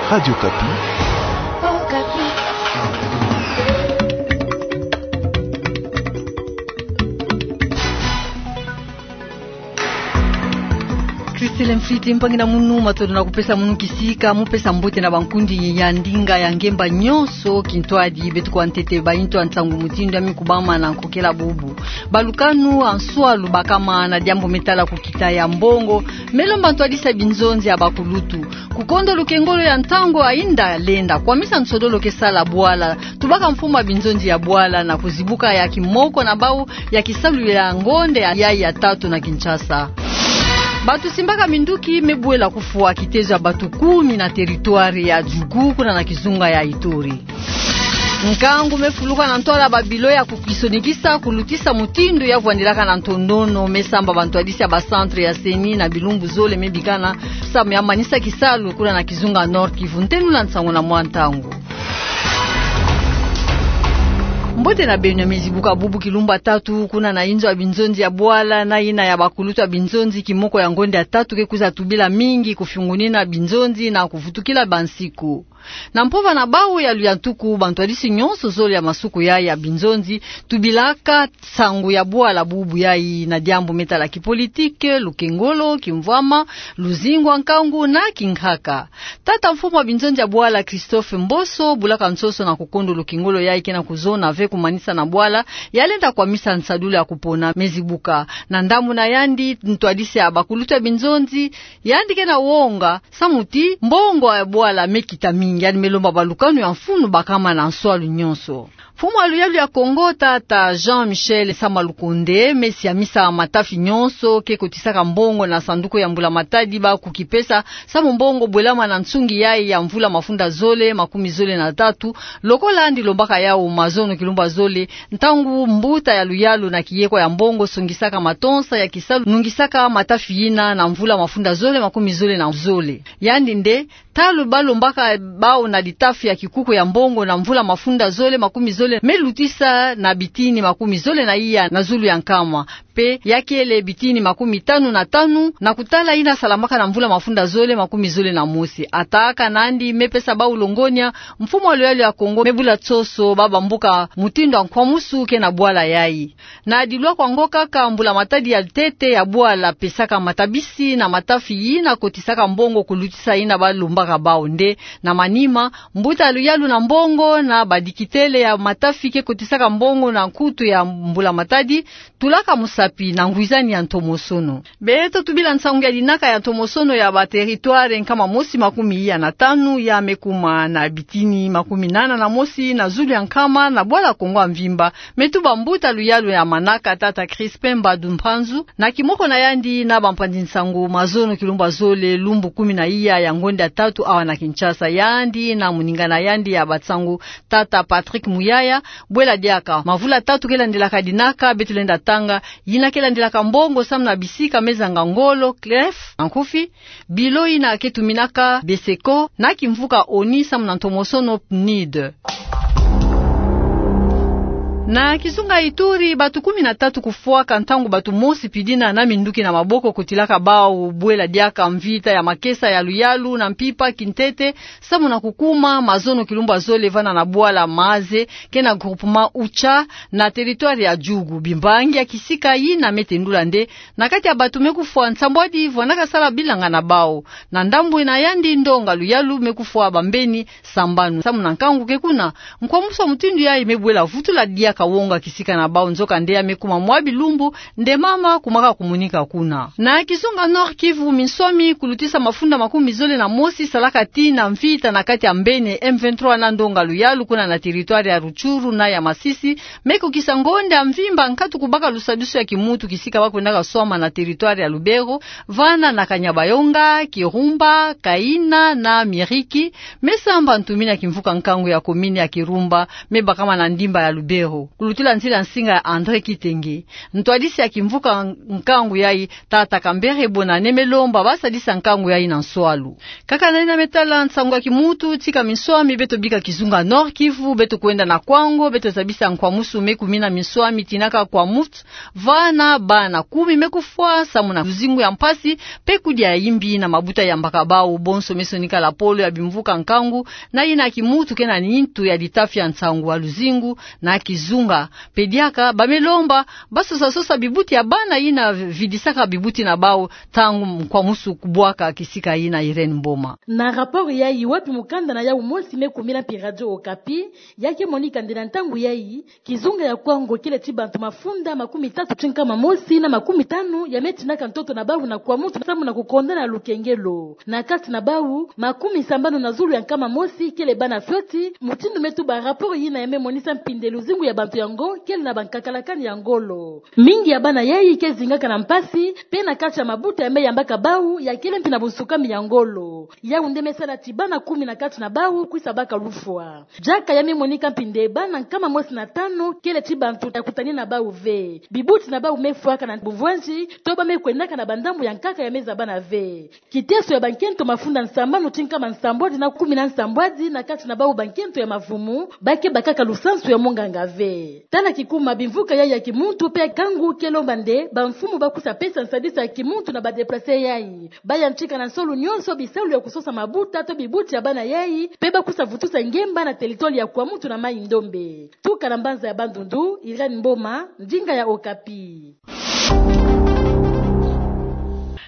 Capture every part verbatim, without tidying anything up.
Radio Okapi. Christelle Mfiti mpangi na munu, matondo na kupesa munu kisika, mu pesa mbote na bankundi ya ndinga ya ngemba nyonso kintwadi. Beto kwa ntete bainto ya nsangu mutindu ya mikubama na nkokela bubu. Balukanu ya nswalu bakama na diambu me tala kukita ya mbongo, me lomba ntwadisi ya binzonzi ya bakulutu. Kukondo lukengolo ya ntangu ya inda lenda, kwamisa nsodolo ke sala bwala, tubaka mfumu ya binzonzi ya bwala na kuzibuka ya kimoko na bau ya kisalu ya ngonde ya, ya, ya tatu na Kinshasa. Bato simbaka minduki me bwela kufwa kitezo ya bato kumi na territoire ya Djugu kuna na kizunga ya Ituri. Nkangu me fuluka na ntwala ya babilo ya kukisonikisa, kulutisa mutindu ya vwandilaka na ntondono, me samba bantwadisi ya ba centre ya CENI na bilumbu zole me bikana, samu ya manisa kisalu kuna na kizunga Nord-Kivu. Ntenula nsangu na mwa ntangu. Mbote na beno. Ya me zibuka bubu kilumbu ya tatu kuna na inzo ya binzonzi ya bwala na yina ya bakulutu ya binzonzi, kimoko ya ngonde ya tatu ke kwiza tubila mingi, kufiungunina binzonzi na kuvutukila bansiku. Na mpova na bau ya luyantuku, bantwadisi nyonso zole ya masuku ya, ya binzonzi tubilaka nsangu ya bwala bubu yayi na diambu me tala kipolitike, lukengolo, kimvwama, luzingu ya nkangu na kinkaka. Tata mfumu ya binzonzi ya bwala Christophe Mboso bulaka nsoso na kukondo lukengolo yayi ke na kuzona ve kumanisa na bwala, ya lenda kwamisa nsadulu ya kupona. Me zibuka na ndambu na yandi ntwadisi ya bakulutu ya binzonzi, yandi ke na wonga samu ti mbongo ya bwala me kita mingi, yandi me lomba balukanu ya mfunu bakama na nswalu nyonso. Mfumu ya luyalu ya Kongo, tata Jean-Michel Sama Lukonde, me siamisa matafi nyonso ke kotisaka mbongo na sanduku ya mbula matadi bau kukipesa, samu mbongo bwelama na nsungi yayi ya mvula mafunda zole makumi zole na tatu, lokola yandi lombaka yau mazono kilumbu ya zole, ntangu mbuta ya luyalu na kiyekwa ya mbongo songisaka matonsa ya kisalu nungisaka matafi yina na mvula mafunda zole makumi zole na zole. Yandi nde, ntalu balombaka bau na litafi ya kikuku ya mbongo na mvula mafunda zole makumi zole me lutisa na bitini makumi zole na iya na zulu ya nkama, mpe ya kele bitini makumi tanu na tanu, na kutala yina salamaka na mvula mafunda zole makumi zole na mosi. Ataka nandi me pesa bau longonya, mfumu ya luyalu ya Kongo me bula nsoso bau bambuka mutindu ya nkwamusu ke na bwala yayi. Na dilwa kwa ngo kaka, mbula matadi ya ntete ya bwala pesaka matabisi na matafi yina kotisaka mbongo kulutisa yina balombaka bau nde, na manima, mbuta ya luyalu na mbongo na badikitele ya matafi ke kotisaka mbongo na nkutu ya mbula matadi, tulaka musapi na ngwizani ya ntomosono. Beto tubila nsangu ya dinaka ya ntomosono ya ba territoire nkama mosi makumi iya na tanu ya me kuma na bitini makumi nana na mosi na zulu ya nkama na bwala Kongo ya mvimba, me tuba mbuta luyalu ya manaka, tata Crispin Mbadu Mpanzu, na kimoko na yandi na bampanzi nsangu mazono kilumbu ya zole, lumbu kumi na iya ya ngonde ya tatu awa na Kinshasa, yandi na moninga na yandi ya bansangu, tata Patrick Muyaya. Bwela diaka, mavula tatu ke landilaka dinaka beto lenda tanga, yina ke landilaka mbongo samu na bisika me zanga ngolo, clef na nkufi, bilo yina ke tuminaka beseko na kimvuka ONI samu na ntomosono PNUD. Na kizunga Ituri, bato kumi na tatu kufwaka ntangu bato mosi pidina na minduki na maboko kotilaka bau. Bwela diaka mvita ya makesa ya luyalu na mpimpa kintete, samu na kukuma mazono kilumbu ya zole vana na bwala Maze, ke na groupement Ucha, na territoire ya Djugu. Bimbangi ya kisika yina me tendula nde, na kati ya bato me kufwa, nsambwadi vwanaka sala bilanga na bau. Na ndambu na yandi, ndonga luyalu me kufwa bambeni sambanu samu na nkangu ke kuna. Nkwamusu ya mutindu yayi me bwela vutula diaka wonga kisika na bau, nzoka nde ya me kuma mwa bilumbu nde mama kumaka kumonika kuna. Na kizunga Nord-Kivu, minswami kulutisa mafunda makumi zole na mosi salaka tii na mvita na kati ya mbeni M vingt-trois na ndonga luyalu kuna na territoire ya Rutshuru na ya Masisi, me kukisa ngonde ya mvimba nkatu kubaka lusadusu ya kimuntu kisika ba kwendaka swama na territoire ya Lubero, vana na Kanyabayonga, Kirumba, Kaina na Miriki, me samba ntumini ya kimvuka nkangu ya commune ya Kirumba, me bakama na ndimba ya Lubero. Kulutila nzila nsinga ya André Kitenge. Ntwadisi ya kimvuka nkangu yayi, tata Kambere Bonane, me lomba ba sadisa nkangu yayi na nswalu. Kaka na yina me tala nsangu ya kimuntu, tika minswami beto bika kizunga Nord-Kivu, beto kwenda na Kwango, beto zabisa nkwamusu me kumi na minswami tinaka kwa mutu, vana bana kumi me kufwa samu na luzingu ya mpasi, mpe kudia ya imbi na mabuta yambaka bawu. Bonso me sonika lapolo ya bimvuka nkangu na yina kimuntu ke na nintu ya litafi ya nsangu wa luzingu na kizunga. Mpe diaka ba me lomba ba sosa-sosa bibuti ya bana yina vidisaka bibuti na bawu ntangu nkwamusu kubwaka. Kisika yina Irène Mboma. Na rapport yayi wapi mukanda na yawu mosi me kumina mpi Radio Okapi, ya ke monika nde na ntangu yayi, kizunga ya Kwango kele ti bantu mafunda makumi tatu ti nkama mosi na makumi tanu ya me tinaka ntoto na bawu na kwa mutu samu na kukondana lukengelo. Na kati na bawu, makumi sambanu na zulu ya nkama mosi kele bana fioti, mutindu me tuba rapport yina ya me monisa mpi nde luzingu ya bantu yango kele na bankakalakani ya ngolo. Mingi ya bana yayi ke zingaka na mpasi, mpe na kati ya mabuta ya me yambaka bawu ya kele mpi na bunsukami ya ngolo. Yawu nde me sala ti bana kumi na kati na bawu kwisa baka lufwa. Diaka ya me monika mpi nde bana nkama mosi na tanu kele ti bantu ya kutani na bawu ve. Bibuti na bawu me fwaka na buvwanzi, to ba me kwendaka na bandambu ya nkaka ya me zabana ve. Kiteso ya bankento mafunda nsambanu ti nkama nsambwadi na kumi na nsambwadi na kati na bawu bankento ya mavumu, ba ke bakaka lusansu ya monganga ve. Tala kikuma bimvuka yayi ya kimuntu mpe nkangu ke lomba nde bamfumu ba kwisa pesa nsadisi ya kimuntu na ba déplacés yayi. Ba yantika na nsolo nyonso bisalu ya kusosa mabuta to bibuti ya bana yayi, mpe ba kwisa vutusa ngemba na territoire ya kwa mutu na Maï-Ndombe. Tuka na mbanza ya Bandundu, Irène Mboma, ndinga ya Okapi.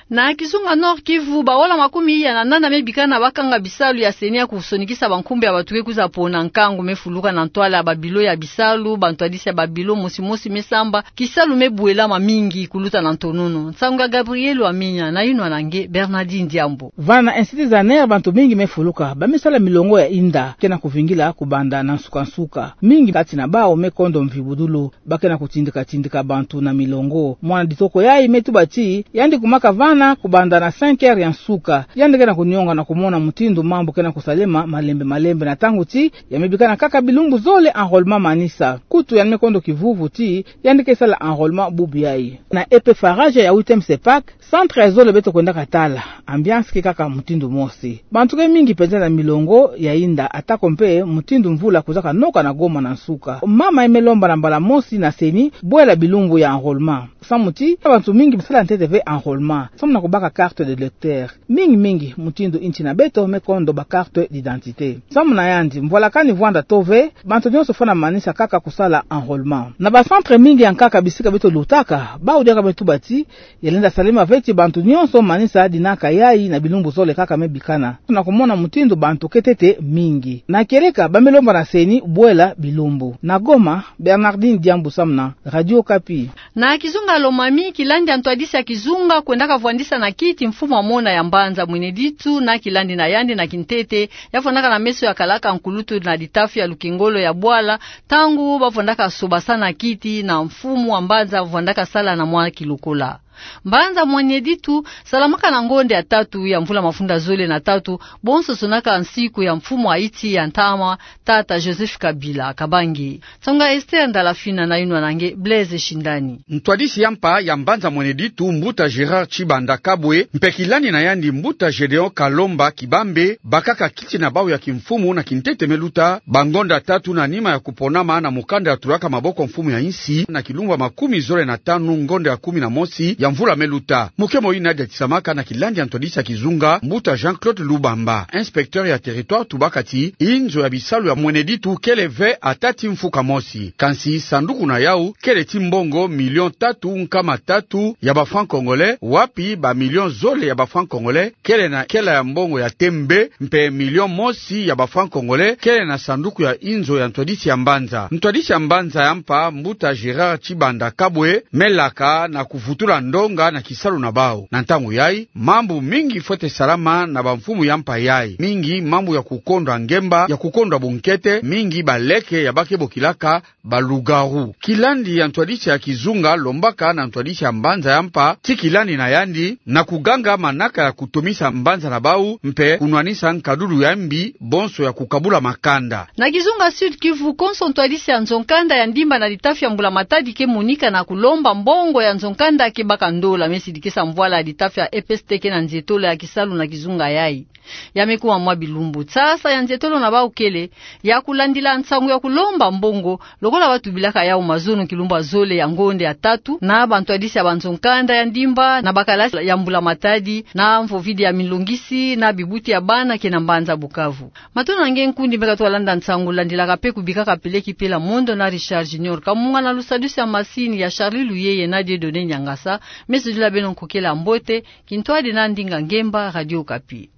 Na kizunga Nord-Kivu, baola makumi iya na nana me bikana ba kanga bisalu ya CENI ya kusonikisa bankumbu ya bantu ke kwiza pona nkangu me fuluka na ntwala ya babilo ya bisalu. Bantwadisi ya babilo mosi-mosi me samba kisalu me bwelama mingi kuluta na ntonono. Nsangu ya Gabriel Wamenya na yinwa na nge Bernardine Diambu. Vana na Institut Zaner bantu mingi me fuluka, ba me sala milongo ya inda ke na kuvingila kubanda na nsuka-nsuka. Mingi kati na bawu me kondo mvibudulu, ba ke na kutindika-tindika bantu na milongo. Mwana ditoko yayi me tuba ti yandi kumaka vana kubanda na cinq heures ya nsuka. Yandi ke na kunionga na kumona mutindu mambu ke na kusalema malembe-malembe na ntangu ti ya me bikana kaka bilumbu zole enrôlement manisa. Kutu yandi me kondo kivuvu ti yandi ke sala enrôlement bubu yayi. Na E P Farage ya huitième CEPAC, centre zole beto kwendaka tala, ambiance ke kaka mutindu mosi. Bantu ke mingi penza na milongo ya inda, atako mpe mutindu mvula kwizaka noka na Goma na nsuka. Mama yayi me lomba na mbala mosi na CENI bwela bilumbu ya enrôlement, samu ti bantu mingi basala ntete ve enrôlement samu na kubaka carte d'électeur. Mingi-mingi mutindu inti na beto me kondo ba carte d'identité. Samu na yandi, mvwalakani vwanda tôt ve, bantu nyonso fwana manisa kaka kusala enrôlement. Na ba centre mingi ya nkaka bisika beto lutaka, bawu diaka me tuba ti ya lenda salema ve ti bantu nyonso manisa dinaka yayi na bilumbu zole kaka me bikana, na kumona mutindu bantu ke ntete mingi. Na kieleka, ba me lomba na CENI bwela bilumbu. Na Goma, Bernardine Diambu samu na Radio Okapi. Na kizunga Lomami, kilandi ya ntwadisi ya kizunga kwendaka vwandisa na kiti mfumu ya mona ya mbanza Mweneditu na kilandi na yandi na kintete, ya vwandaka na meso ya kalaka nkulutu na litafi ya lukengolo ya bwala, ntangu ba vwandaka sobasana kiti na mfumu wa mbanza vwandaka sala na mwa kilokola. Mbanza Mweneditu salamaka na ngonde ya tatu ya mvula mafunda zole na tatu, bonso sonaka nsiku ya mfumu wa insi ya ntama, tata Joseph Kabila Kabange. Nsangu ya Esther Ndalafina na yinwa na nge Blaise Shindani. Ntwadisi ya mpa ya mbanza Mweneditu, mbuta Gérard Tshibanda Kabwe, mpe kilandi na yandi, mbuta Gédéon Kalomba Kibambe, bakaka kiti na bawu ya kimfumu na kintete me luta, bangonda tatu na nima ya kuponama na mukanda ya tulaka maboko mfumu ya insi, na kilumbu ya makumi zole na tanu, ngonda ya kumi na mosi ya mvula me luta. Mukemo yina diatisamaka na kilandi ya ntwadisi ya kizunga, mbuta Jean-Claude Lubamba, inspecteur ya territoire, tubaka ti inzo ya bisalu ya Mweneditu kele ve ata ti mfuka mosi. Kansi sanduku na yawu kele ti mbongo million tatu nkama tatu ya ba francs congolais, wapi ba million zole ya ba francs congolais kele na kela ya mbongo ya tembe, mpe million mosi ya ba francs congolais kele na sanduku ya inzo ya ntwadisi ya mbanza. Ntwadisi ya mbanza ya mpa, mbuta Gérard Tshibanda Kabwe, me laka na kuvutula ndo tonga na kisalu na bau. Na ntangu yayi, mambu mingi fwete salama na bamfumu ya mpa yayi, mingi mambu ya kukondwa ngemba, ya kukondwa bunkete, mingi baleke ya bake bokilaka ba loup-garou. Kilandi ya ntwadisi ya kizunga lombaka na ntwadisi ya mbanza ya mpa ti kilandi na yandi na kuganga manaka ya kutomisa mbanza na bau mpe kunwanisa nkadulu ya mbi bonso ya kukabula makanda. Na kizunga Sud-Kivu konso, ntwadisi ya nzo-nkanda ya Ndimba na litafi ya Mbula Matadi ke monika na kulomba mbongo ya nzo-nkanda ke baka ndola. Me sidikisa mvwala ya litafi ya E P S T ke na nzietolo ya kisalu na kizunga yayi. Ya me kuma mwa bilumbu, nsasa ya nzietolo na bau kele ya kulandila nsangu ya kulomba mbongo, lokola batubilaka yawu mazono kilumbu ya zole ya ngonde ya tatu, na bantwadisi ya banzo-nkanda ya Ndimba na bakalasi ya Mbula Matadi, na mvovidi ya milongisi, na bibuti ya bana ke na mbanza Bukavu. Matondo na nge nkundi me katuka landa nsangu, landilaka mpe kubikaka peleki pela mondo na Richard Junior Kamunga, na lusadusu ya masini ya Charlie Luyeye na Dieudonné Niangasa. Me sudila beno nkokela mbote, kintwadi na ndinga ngemba, Radio Okapi.